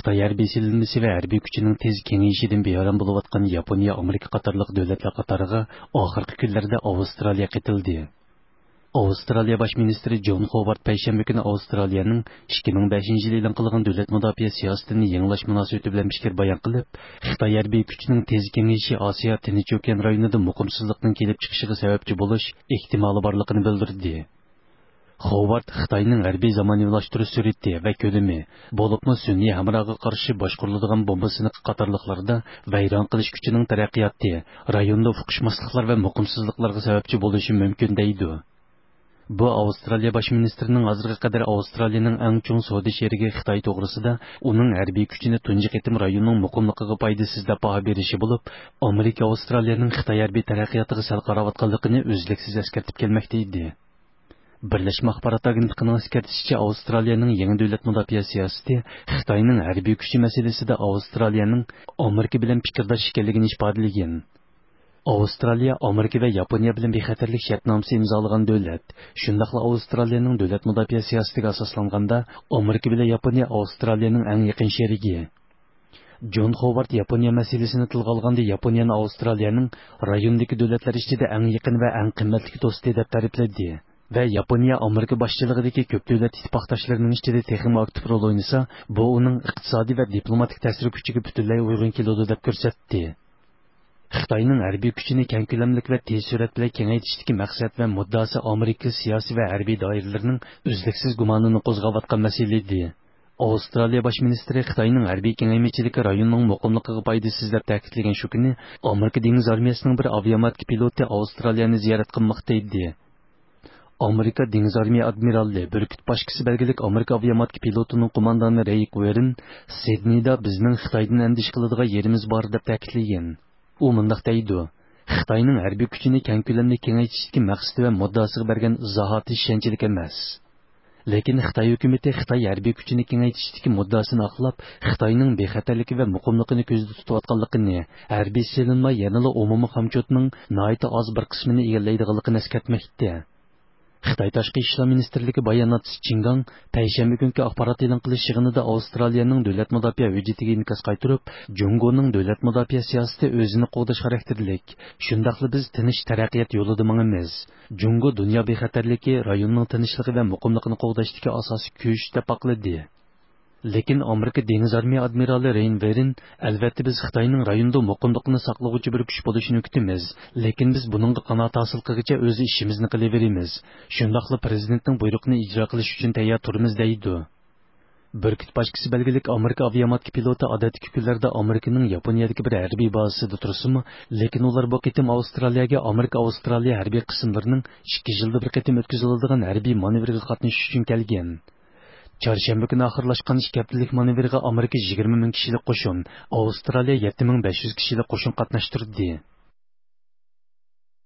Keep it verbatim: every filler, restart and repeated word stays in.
خىتاي ھەربىي سېلىنمىسى ۋە ھەربىي كۈچىنىڭ تېز كېڭىيىشىدىن بىئارام بولۇۋاتقان ياپونىيە، ئامېرىكا قاتارلىق دۆلەتلەر قاتارىغا ئاخىرقى كۈنلەردە ئاۋسترالىيە قېتىلدى. ئاۋسترالىيە باش مىنىستىرى جون خوۋارد پەيشەنبە كۈنى ئاۋسترالىيەنىڭ ئىككى مىڭ بەشىنچى يىلى ئېلان قىلغان دۆلەت مۇداپىئە سىياسىتىنى يېڭىلاش مۇناسىۋىتى بىلەن پىكىر بايان قىلىپ، خىتاي ھەربىي كۈچىنىڭ تېز كېڭىيىشى ئاسىيا، تىنچ ئوكيان رايونىدا مۇقىمسىزلىقنىڭ كېلىپ چىقىشىغا سەۋەبچى بولۇش ئېھتىمالى بارلىقىنى بىلدۈردى. خوۋارد خىتاينىڭ ھەربىي زامانىۋىلاشتۇرۇش سۈرئىتى ۋە كۆلىمى، بولۇپمۇ سۈنئىي ھەمراغا قارشى باشقۇرۇلىدىغان بومبا سىنىقى قاتارلىقلاردا ۋەيران قىلىش كۈچىنىڭ تەرەققىياتى رايوندا ئۇقۇشماسلىقلار ۋە مۇقىمسىزلىقلارغا سەۋەبچى بولۇشى مۇمكىن، دەيدۇ. بۇ ئاۋسترالىيە باش مىنىستىرىنىڭ ھازىرغا قەدەر ئاۋسترالىيەنىڭ ئەڭ چوڭ سودا شېرىكى خىتاي توغرىسىدا ئۇنىڭ ھەربىي كۈچىنى تۇنجى قېتىم رايوننىڭ مۇقىملىقىغا پايدىسىز دەپ باھا بېرىشى بولۇپ، ئامېرىكا ئاۋسترالىيەنىڭ خىتاي ھەربىي تەرەققىياتىغا سەل قاراۋاتقانلىقىنى ئۈزلۈكسىز ئەسكەرتىپ كەلمەكتە ئىدى. بىرلەشمە ئاخبارات ئاگېنتلىقىنىڭ ئەسكەرتىشىچە، ئاۋسترالىيەنىڭ يېڭى دۆلەت مۇداپىئە سىياسىتى خىتاينىڭ ھەربىي كۈچى مەسىلىسىدە ئاۋسترالىيەنىڭ ئامېرىكا بىلەن پىكىرداش ئىكەنلىكىنى ئىپادىلىگەن. ئاۋسترالىيە ئامېرىكا ۋە ياپونىيە بىلەن بىخەتەرلىك شەرتنامىسى ئىمزالىغان دۆلەت. شۇنداقلا ئاۋسترالىيەنىڭ دۆلەت مۇداپىئە سىياسىتىگە ئاساسلانغاندا، ئامېرىكا بىلەن ياپونىيە ئاۋسترالىيەنىڭ ئەڭ يېقىن شېرىكى. جون خوۋارد ياپونىيە مەسىلىسىنى تىلغا ئالغاندا، ياپونىيەنى ئاۋسترالىيەنىڭ رايوندىكى دۆلەتلەر ئىچىدە ئەڭ يېقىن ۋە ئەڭ قىممەتلىك دوستى دەپ تەرىپلىدى. ۋە ياپونىيە ئامېرىكا باشچىلىقىدىكى كۆپ دۆلەت ئىتتىپاقداشلىرىنىڭ ئىچىدە تېخىمۇ ئاكتىپ رول ئوينىسا، بۇ ئۇنىڭ ئىقتىسادىي ۋە دىپلوماتىك تەسىر كۈچىگە پۈتۈنلەي ئۇيغۇن كېلىدۇ دەپ كۆرسەتتى. خىتاينىڭ ھەربىي كۈچىنى كەڭ كۆلەملىك ۋە تېز سۈرئەت بىلەن كېڭەيتىشتىكى مەقسەت ۋە مۇددىئاسى ئامېرىكا سىياسىي ۋە ھەربىي دائىرىلىرىنىڭ ئۈزلۈكسىز گۇمانىنى قوزغاۋاتقان مەسىلە ئىدى. ئاۋسترالىيە باش مىنىستىرى خىتاينىڭ ھەربىي كېڭەيمىچىلىكى رايوننىڭ مۇقىملىقىغا پايدىسىز دەپ تەكىتلىگەن شۇ كۈنى، ئامېرىكا دېڭىز ئارمىيەسىنىڭ بىر ئاۋىئاماتكا پىلوتى ئاۋسترالىيەنى زىيارەت قىلماقتا ئىدى. ئامېرىكا دېڭىز ئارمىيە ئادمىرالى، بۈركۈت باشقىسى بەلگىلىك ئامېرىكا ئاۋىئاماتكا پىلوتىنىڭ قوماندانى رېيك ۋېرن سىدنېيدا بىزنىڭ خىتايدىن ئەندىشە قىلىدىغان يېرىمىز بار دەپ تەكىتلىگەن. ئۇ مۇنداق دەيدۇ: خىتاينىڭ ھەربىي كۈچىنى كەڭ كۆلەمدە كېڭەيتىشتىكى مەقسىتى ۋە مۇددىئاسىغا بەرگەن ئىزاھاتى ئىشەنچلىك ئەمەس. لېكىن خىتاي ھۆكۈمىتى خىتاي ھەربىي كۈچىنى كېڭەيتىشتىكى مۇددىئاسىنى ئاقلاپ، خىتاينىڭ بىخەتەرلىكى ۋە مۇقىملىقىنى كۆزدە تۇتۇۋاتقانلىقىنى، ھەربىي سېلىنما يەنىلا ئومۇمىي خامچوتنىڭ ناھايىتى ئاز بىر قىسمىنى ئىگىلەيدىغانلىقىنى ئەسكەرتمەكتە. خىتاي تاشقى ئىشلار مىنىستىرلىكى باياناتچىسى چىڭگاڭ پەيشەنبە كۈنكى ئاخبارات ئېلان قىلىش يىغىنىدا ئاۋسترالىيەنىڭ دۆلەت مۇداپىئە ھۆججىتىگە ئىنكاس قايتۇرۇپ، جۇڭگونىڭ دۆلەت مۇداپىئە سىياسىتى ئۆزىنى قوغداش خاراكتېرلىك، شۇنداقلا بىز تىنچ تەرەققىيات يولىدا ماڭىمىز. جۇڭگو دۇنيا بىخەتەرلىكى، رايوننىڭ تىنچلىقى ۋە مۇقىملىقىنى قوغداشتىكى ئاساسىي كۈچ دەپ باقلىدى. لېكىن ئامېرىكا دېڭىز ئارمىيە ئادمىرالى رېين ۋېرن، ئەلۋەتتە، بىز خىتاينىڭ رايوندا مۇقىملىقنى ساقلىغۇچى بىر كۈچ بولۇشىنى كۈتىمىز، لېكىن بىز بۇنىڭغا قانائەت ھاسىل قىلغىچە ئۆز ئىشىمىزنى قىلىۋېرىمىز، شۇنداقلا پىرېزىدېنتنىڭ بۇيرۇقىنى ئىجرا قىلىش ئۈچۈن تەييار تۇرىمىز، دەيدۇ. بۈركۈت باشقىسى بەلگىلىك ئامېرىكا ئاۋىئاماتكا پىلوتى ئادەتتىكى كۈنلەردە ئامېرىكىنىڭ ياپونىيەدىكى بىر ھەربىي بازىسىدا تۇرسىمۇ، لېكىن ئۇلار بۇ قېتىم ئاۋسترالىيەگە ئامېرىكا ئاۋسترالىيە ھەربىي قىسىملىرىنىڭ ئىككى يىلدا بىر قېتىم ئۆتكۈزۈلىدىغان ھەربىي مانېۋىرىغا قاتنىشىش ئۈچۈن كەلگەن. چارشەنبە كۈنى ئاخىرلاشقان ئىككى ھەپتىلىك مانېۋىرغا ئامېرىكا يىگىرمە مىڭ كىشىلىك قوشۇن، ئاۋسترالىيە يەتتە مىڭ بەش يۈز كىشىلىك قوشۇن قاتناشتۇردى.